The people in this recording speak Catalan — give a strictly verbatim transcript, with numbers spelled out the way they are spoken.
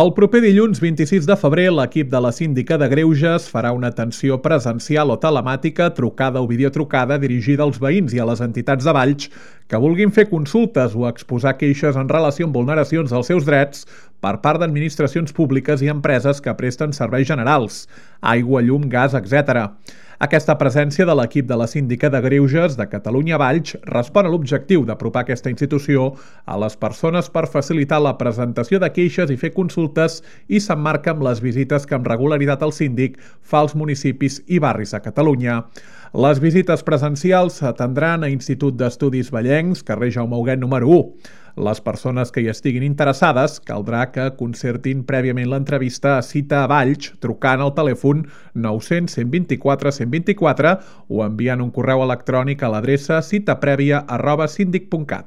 El proper dilluns vint-i-sis de febrer, l'equip de la Síndica de Greuges farà una atenció presencial o telemàtica, trucada o videotrucada dirigida als veïns i a les entitats de Valls que vulguin fer consultes o exposar queixes en relació amb vulneracions dels seus drets per part d'administracions públiques i empreses que presten serveis generals, aigua, llum, gas, etcètera. Aquesta presència de l'equip de la Síndica de Greuges de Catalunya Valls respon a l'objectiu d'apropar aquesta institució a les persones per facilitar la presentació de queixes i fer consultes i s'emmarca amb les visites que amb regularitat el síndic fa als municipis i barris a Catalunya. Les visites presencials s'atendran a Institut d'Estudis Vallencs, carrer Jaume Huguet número u. Les persones que hi estiguin interessades caldrà que concertin prèviament l'entrevista a Cita a Valls trucant al telèfon nou-cents cent vint-i-quatre cent vint-i-quatre o enviant un correu electrònic a l'adreça citaprèvia arroba síndic punt cat.